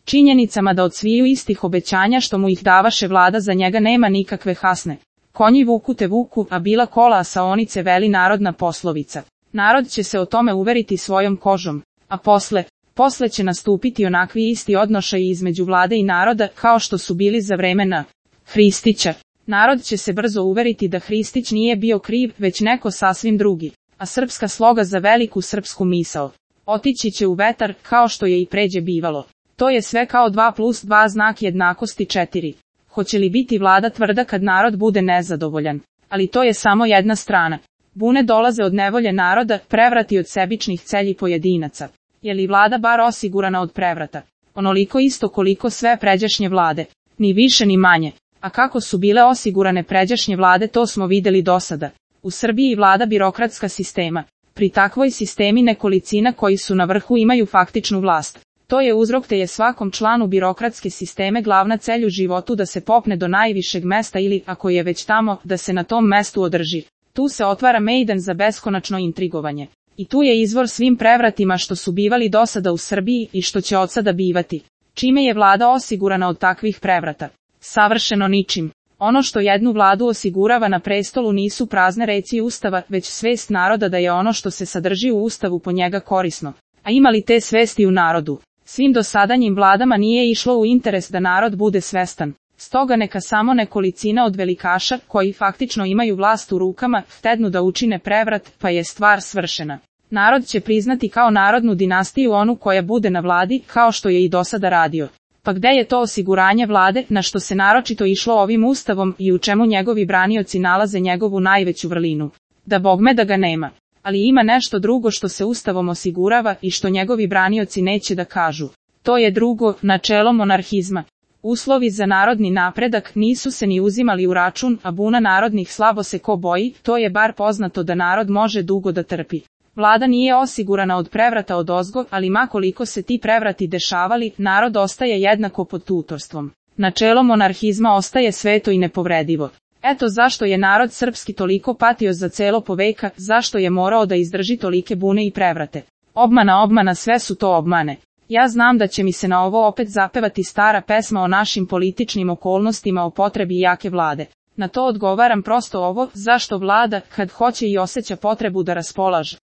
činjenicama da od sviju istih obećanja što mu ih davaše vlada za njega nema nikakve hasne. Konji vuku te vuku, a bila kola asaonice, veli narodna poslovica. Narod će se o tome uveriti svojom kožom, a posle će nastupiti onakvi isti odnošaji između vlade i naroda kao što su bili za vremena Hristića. Narod će se brzo uveriti da Hristić nije bio kriv, već neko sasvim drugi, a srpska sloga za veliku srpsku misao otići će u vetar, kao što je i pređe bivalo. To je sve kao 2+2 znak jednakosti 4. Hoće li biti vlada tvrda kad narod bude nezadovoljan? Ali to je samo jedna strana. Bune dolaze od nevolje naroda, prevrati od sebičnih celji pojedinaca. Je li vlada bar osigurana od prevrata? Onoliko isto koliko sve pređašnje vlade. Ni više ni manje. A kako su bile osigurane pređašnje vlade, to smo videli dosada. U Srbiji vlada birokratska sistema. Pri takvoj sistemi nekolicina koji su na vrhu imaju faktičnu vlast. To je uzrok te je svakom članu birokratske sisteme glavna celj u životu da se popne do najvišeg mesta ili, ako je već tamo, da se na tom mestu održi. Tu se otvara mejdan za beskonačno intrigovanje. I tu je izvor svim prevratima što su bivali dosada u Srbiji i što će odsada bivati. Čime je vlada osigurana od takvih prevrata? Savršeno ničim. Ono što jednu vladu osigurava na prestolu nisu prazne reci Ustava, već svest naroda da je ono što se sadrži u Ustavu po njega korisno. A ima li te svesti u narodu? Svim dosadanjim vladama nije išlo u interes da narod bude svestan. Stoga neka samo nekolicina od velikaša, koji faktično imaju vlast u rukama, htednu da učine prevrat, pa je stvar svršena. Narod će priznati kao narodnu dinastiju onu koja bude na vladi, kao što je i dosada radio. Pa gde je to osiguranje vlade, na što se naročito išlo ovim ustavom i u čemu njegovi branioci nalaze njegovu najveću vrlinu? Da bogme da ga nema. Ali ima nešto drugo što se ustavom osigurava i što njegovi branioci neće da kažu. To je drugo, načelo monarhizma. Uslovi za narodni napredak nisu se ni uzimali u račun, a buna narodnih slabo se ko boji, to je bar poznato da narod može dugo da trpi. Vlada nije osigurana od prevrata odozgo, ali makoliko se ti prevrati dešavali, narod ostaje jednako pod tutorstvom. Načelo monarhizma ostaje sveto i nepovredivo. Eto zašto je narod srpski toliko patio za celo poveka, zašto je morao da izdrži tolike bune i prevrate. Obmana, sve su to obmane. Ja znam da će mi se na ovo opet zapevati stara pesma o našim političnim okolnostima, o potrebi jake vlade. Na to odgovaram prosto ovo, zašto vlada, kad hoće i osjeća potrebu da raspolaže